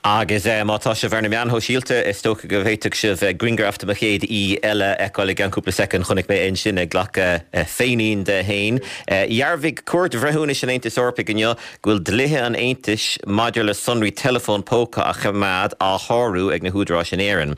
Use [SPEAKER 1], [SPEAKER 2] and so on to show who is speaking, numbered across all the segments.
[SPEAKER 1] Agus má tá sibh ar na meáin shóisialta, is dócha go bhféadfadh sibh grianghraf de mo chéad aoi eile a fheiceáil i gceann cúpla soicind. Chonaic mé é ansin ag glacadh féinín de fhéin. Dhearbhaigh Cúirt Bhreithiúnais an Aontais Eorpaigh inniu go bhfuil dlíthe an Aontais maidir le sonraí teileafóin póca a choimeád á shárú ag na húdaráis in Éirinn.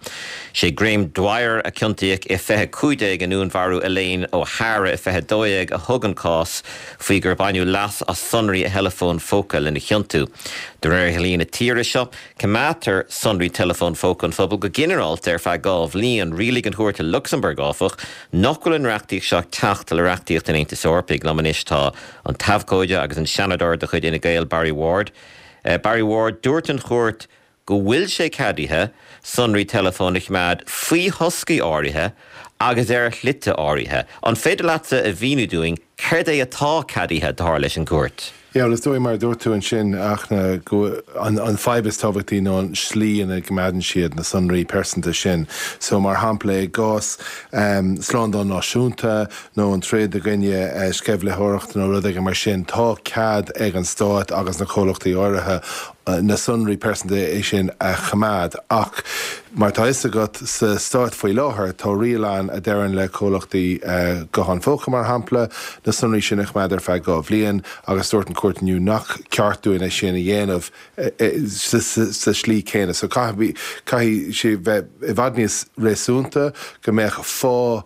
[SPEAKER 1] Sé Graham Dwyer, a ciontaíodh i 2015 i ndúnmharú Elaine O'Hara i 2012, a thug an cás faoi gur baineadh leas as sonraí a theileafóin phóca lena chiontú. De réir dhlí na tíre seo, coimeádtar sonraí teileafóin phóca an phobail go ginearálta ar feadh 2 bhliain. Rialaigh an chúirt i Lucsamburg, áfach, nach bhfuil an reachtaíocht seo ag teacht le reachtaíocht an Aontais Eorpaigh. Liom anois tá an t-abhcóide agus an Seanadóir de chuid Fhine Gael, Barry Ward. Barry Ward, dúirt an chúirt go bhfuil sé ceadaithe sonraí teileafóin a choimeád faoi thoscaí áirithe agus ar shlite áirithe. An féidir leatsa a mhíniú dúinn céard é atá ceadaithe, dar leis an gcúirt?
[SPEAKER 2] Yeah, bhuel is dóigh mar a dúirt tú ansin, Fhachtna, go an an fadhb is tábhachtaí ná an slí ina gcoimeádann siad na sonraí pearsanta sin. So mar shampla i gcás slándáil náisiúnta nó an troid i gcoinne sceimhlitheoireacht nó rud éigin mar sin, tá cead ag an stát agus na comhlachtaí áirithe na sonraí pearsanta sin a choimeád. Ach mar atá fhios agat, sa Stát faoi láthair, tá riail ann a deireann le comhlachtaí gutháin phóca, mar shampla, na sonraí sin a choimeád ar feadh 2 bhliain agus dúirt an chúirt inniu nach ceart dúinn é sin a dhéanamh sa slí céanna. So caithfidh sé bheith i bhfad níos réasúnta, go mbeadh fáth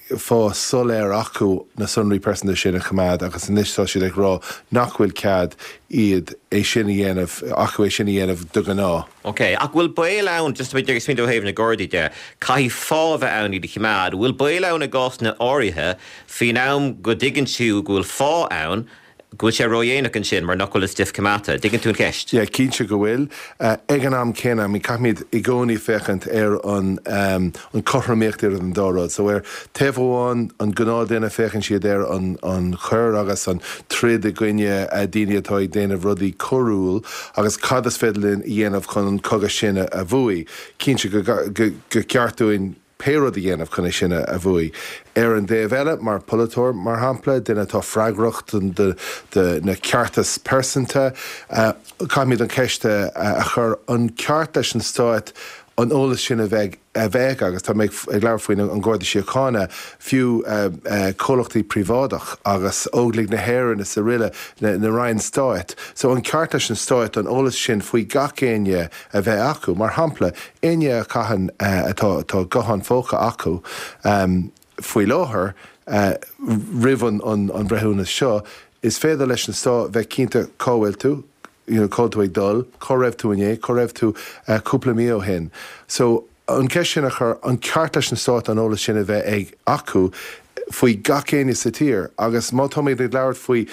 [SPEAKER 2] fáth soiléir acu na sonraí pearsanta sin a choimeád agus anois tá siad ag rá nach bhfuil cead iad é sin a dhéanamh, acu é sin a dhéanamh de ghnáth.
[SPEAKER 1] Ok, ach bhfuil baol ann, just ag smaoineamh ó thaobh na Gardaí de, caithfidh fáth a bheith ann iad a choimeád, bhfuil baol ann i gcásanna áirithe faoin am go dtuigeann tú go bhfuil fáth ann, go bhfuil sé ródhéanach ansin mar nach bhfuil an stuif coimeádta. Dtuigeann tú an cheist?
[SPEAKER 2] Yeah, cinnte go bhfuil. Ag an am céanna, I mean, caithfimid i gcónaí féachaint ar an an cothromaíocht idir an dá rud. So ar taobh amháin, an gnáthdhuine, féachann siad ar an an choir agus an troid i gcoinne daoine atá ag déanamh rudaí coiriúil agus cad is féidir linn a dhéanamh chun an cogadh sin a bhuaigh. Cinnte go go ceart dúinn pé rud a dhéanamh chun é sin a bhuaigh. Ar an dtaobh eile, mar pholaiteoir, mar shampla, duine atá freagrach do na ceartas pearsanta, caithfimid an cheist a chur, an ceart leis an Stát an eolas sin a bheith a bheith aige, agus tá mé ag labhairt faoin an Garda Síochána, fiú comhlachtaí príobháideach agus Óglaigh na hÉireann is araile, na Roinn Stáit. So an ceart leis an Stát an eolas sin faoi gach éinne a bheith acu. Mar shampla, éinne a chaitheann, atá, tá guthán phóca acu faoi láthair, roimh an an bhreithiúnas seo, is féidir leis an stát bheith cinnte cá bhfuil tú, you know, cá bhfuil tú ag dul, cá raibh tú inné, cá raibh tú cúpla mí ó shin. So, an cheist sin a chur, an ceart leis an stát an eolas sin a bheith ag, acu, faoi gach éinne sa tír agus má táimid ag labhairt faoi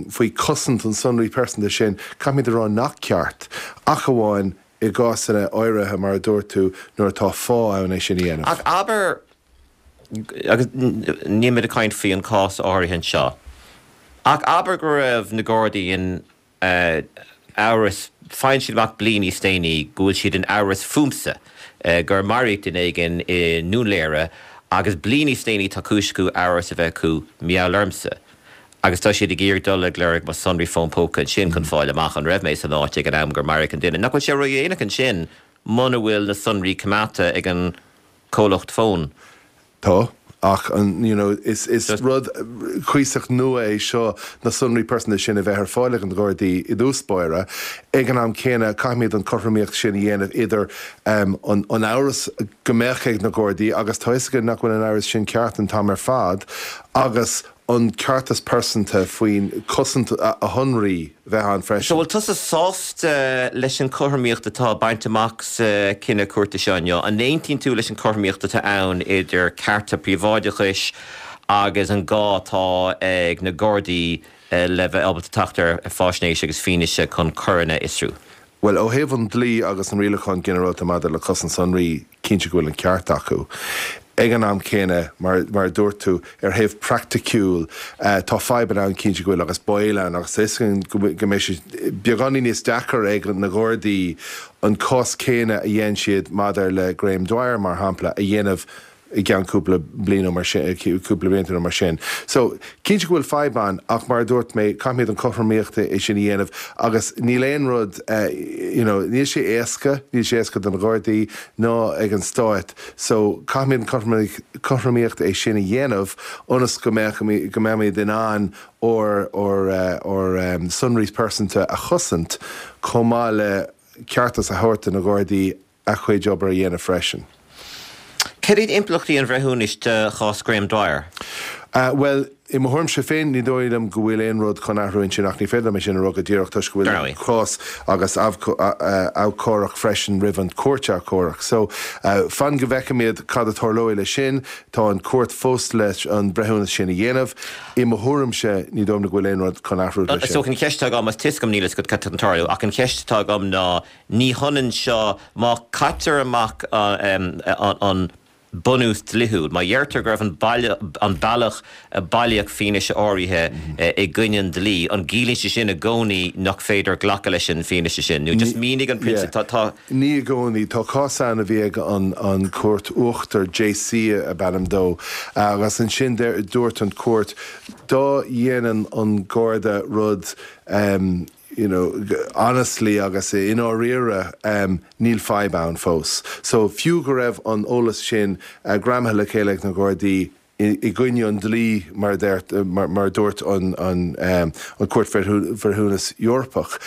[SPEAKER 2] faoi chosaint an sonraí pearsanta sin, caithfimid a rá nach ceart, ach amháin i gcásanna áirithe, mar a dúirt tú, nuair atá fáth ann é sin a dhéanamh.
[SPEAKER 1] Ach abair, agus níl muid ag caint faoi an cás áirithe anseo, ach abair go raibh na Gardaí in amhras, faigheann siad amach bliain níos déanaí go bhfuil siad in amhras fúmsa gur maraíodh duine éigin i nDún Laoghaire agus bliain níos déanaí tá cúis acu amhras a bheith acu mar gheall ormsa agus tá siad ag iarraidh dul ag lorg mo sonraí fón póca ansin chun fáil amach an raibh mé san áit ag an am gur maraíodh an duine. Nach bhfuil sé ródhéanach ansin muna bhfuil na sonraí coimeádta ag an comhlacht fóin?
[SPEAKER 2] Tá, ach an, you know, is, is rud cuíosach nua é seo na sonraí pearsanta sin a bheith ar fáil ag na Gardaí i dtús báire. Ag an am céanna, caithfimid an cothromaíocht sin a dhéanamh idir an, an amhras go mbeadh ag na Gardaí, agus tá 'fhios againn nach bhfuil an amhras sin ceart an t-am ar fad, agus an ceartas pearsanta faoin cosaint a shonraí bheith ann freisin.
[SPEAKER 1] So bhfuil tusa sásta leis an chothromaíocht atá bainte amach sa chinneadh cúirte seo inniu? An aontaíonn tú leis an chothromaíocht atá ann idir cearta príobháideachais agus an gá atá ag na Gardaí le bheith ábalta teacht ar faisnéis agus fianaise chun coireanna a fhiosrú?
[SPEAKER 2] Bhuel, ó thaobh an dlí agus an Rialachán Ginearálta maidir le Cosaint Sonraí, cinnte go bhfuil an ceart acu. Ag an am céanna, mar mar a dúirt tú, ar thaobh praiticiúil, tá fadhbanna ann, cinnte go bhfuil, agus baol ann, agus tá 'fhios againn go go mbeidh sé beagáinín níos deacair ag na Gardaí an cás céanna a dhein siad maidir le Graham Dwyer, mar shampla, a dhéanamh. i gceann cúpla bliain nó mar sin, cúpla blianta nó mar sin. So, cinnte go bhfuil fadhb ann ach mar a dúirt mé, caithfimid an chothromaíocht é sin a dhéanamh agus níl aon rud, you know, níl sé éasca, níl sé éasca do na Gardaí ná ag an Stát. So, caithfimid an chothromaíocht é sin a dhéanamh ionas go mbeadh, go mbeimid in ann ár, ár, ár sonraí pearsanta a chosaint chomh maith le ceartas a thabhairt do na Gardaí a chuid obair a dhéanamh freisin.
[SPEAKER 1] Cad iad impleachtaí an bhreithiúnais do chás Graham Dwyer?
[SPEAKER 2] Bhuel, i mo thuairimse féin, ní dóigh liom go bhfuil aon rud chun athrú ansin ach ní féidir liom é sin a rá go díreach toisc go bhfuil an cás agus abhcóireacht freisin roimh an chúirt abhcóireacht. So, fan go bhfeicfimid cad a tarlóidh leis sin. Tá an chúirt fós leis an breithiúnas sin a dhéanamh. I mo thuairimse, ní dóigh liom go bhfuil aon rud chun athrú leis
[SPEAKER 1] sin. So, an cheist atá agam, is tá a fhios agam níl a fhios agat cad atá chun tarlú, ach an cheist atá agam ná, Ní hionann seo, má caitear amach an bunús dlíthiúil, má dheirtear go raibh an bealach a bailíodh fianaise áirithe i gcoinne an dlí, an gciallaíonn sé sin i gcónaí nach féidir glacadh leis an bhfianaise sin? Nó just mínigh an prionsabal, tá, tá.
[SPEAKER 2] Ní i gcónaí. Tá cás ann a bhí ag an Chúirt Uachtar, JC ab ainm dó, agus ansin dúirt an Chúirt dá dhéanann an Garda rud, you know, honestly agus i ndáiríre níl fadhb ann fós. So fiú go raibh an eolas sin greamaithe le chéile ag na Gardaí i gcoinne an dlí mar a mar a dúirt an an an Chúirt Bhreithiúnas Eorpach,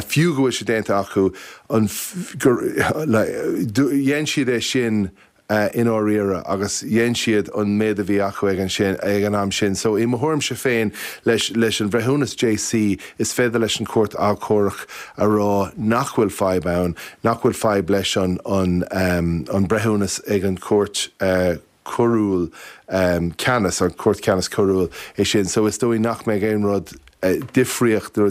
[SPEAKER 2] fiú go bhfuil sé déanta acu an gur dhein siad é sin i ndáiríre agus dhein siad an méid a bhí acu ag an sin, ag an am sin. So i mo thuairimse féin, leis, leis an bhreithiúnas JC, is féidir leis an Chúirt Achomhairc a rá nach bhfuil fadhb ann, nach bhfuil fadhb leis an, an, an breithiúnas ag an Chúirt Choiriúil Ceannais, an Chúirt Ceannais Choiriúil é sin. So is dóigh nach mbeidh aon rud difríocht,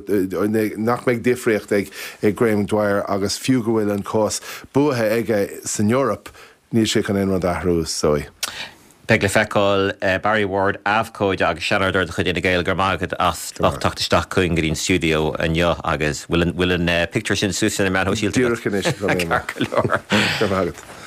[SPEAKER 2] nach mbeidh difríocht ag Graham Dwyer agus fiú go bhfuil an cás buaithe aige san Eoraip, níl sé chun aon rud a athrú, is dóigh.
[SPEAKER 1] Beidh le feiceáil. Barry Ward, abhcóide agus seanadóir de chuid Fhine Gael, go raibh maith agat as ucht teacht isteach chugainn go dtí an stiúideo inniu agus bhfuil an, bhfuil an pictiúr sin suas ar na meáin shóisialta
[SPEAKER 2] agat? Díreach anois, tá mé. Ceart go leor. Go raibh maith agat.